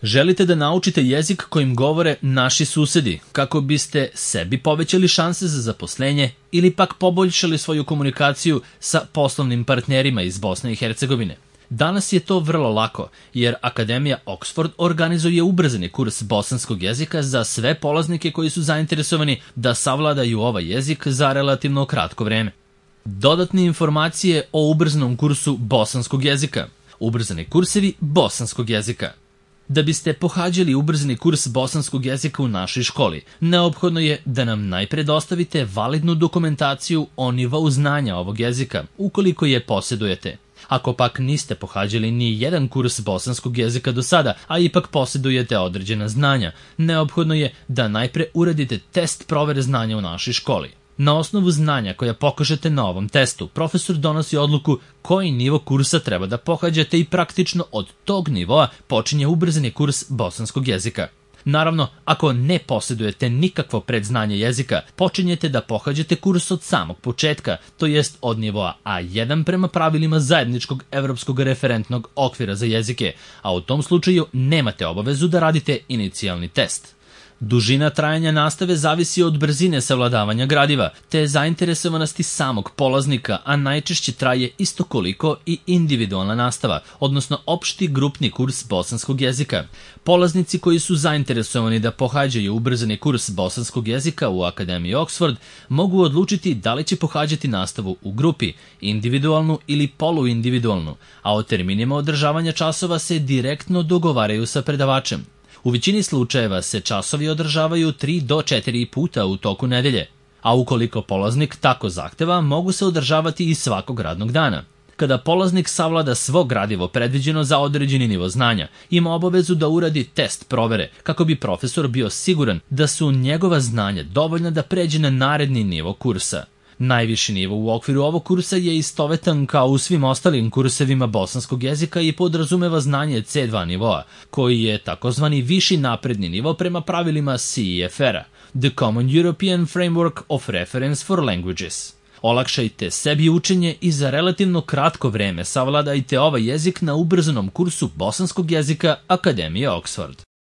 Želite da naučite jezik kojim govore naši susedi, kako biste sebi povećali šanse za zaposlenje ili pak poboljšali svoju komunikaciju sa poslovnim partnerima iz Bosne i Hercegovine. Danas je to vrlo lako, jer Akademija Oxford organizuje ubrzani kurs bosanskog jezika za sve polaznike koji su zainteresovani da savladaju ovaj jezik za relativno kratko vreme. Dodatne informacije o ubrzanom kursu bosanskog jezika. Ubrzani kursevi bosanskog jezika. Da biste pohađali ubrzani kurs bosanskog jezika u našoj školi, neophodno je da nam najpre dostavite validnu dokumentaciju o nivou znanja ovog jezika, ukoliko je posjedujete. Ako pak niste pohađali ni jedan kurs bosanskog jezika do sada, a ipak posjedujete određena znanja, neophodno je da najpre uradite test provere znanja u našoj školi. Na osnovu znanja koja pokažete na ovom testu, profesor donosi odluku koji nivo kursa treba da pohađate i praktično od tog nivoa počinje ubrzani kurs bosanskog jezika. Naravno, ako ne posjedujete nikakvo predznanje jezika, počinjete da pohađate kurs od samog početka, to jest od nivoa A1 prema pravilima zajedničkog evropskog referentnog okvira za jezike, a u tom slučaju nemate obavezu da radite inicijalni test. Dužina trajanja nastave zavisi od brzine savladavanja gradiva, te zainteresovanosti samog polaznika, a najčešće traje isto koliko i individualna nastava, odnosno opšti grupni kurs bosanskog jezika. Polaznici koji su zainteresovani da pohađaju ubrzani kurs bosanskog jezika u Akademiji Oxford mogu odlučiti da li će pohađati nastavu u grupi, individualnu ili poluindividualnu, a o terminima održavanja časova se direktno dogovaraju sa predavačem. U većini slučajeva se časovi održavaju 3 do 4 puta u toku nedelje, a ukoliko polaznik tako zahteva, mogu se održavati i svakog radnog dana. Kada polaznik savlada svo gradivo predviđeno za određeni nivo znanja, ima obavezu da uradi test provere, kako bi profesor bio siguran da su njegova znanja dovoljna da pređe na naredni nivo kursa. Najviši nivo u okviru ovog kursa je istovetan kao u svim ostalim kursevima bosanskog jezika i podrazumeva znanje C2 nivoa, koji je takozvani viši napredni nivo prema pravilima CEFR-a, The Common European Framework of Reference for Languages. Olakšajte sebi učenje i za relativno kratko vreme savladajte ovaj jezik na ubrzanom kursu bosanskog jezika Akademije Oxford.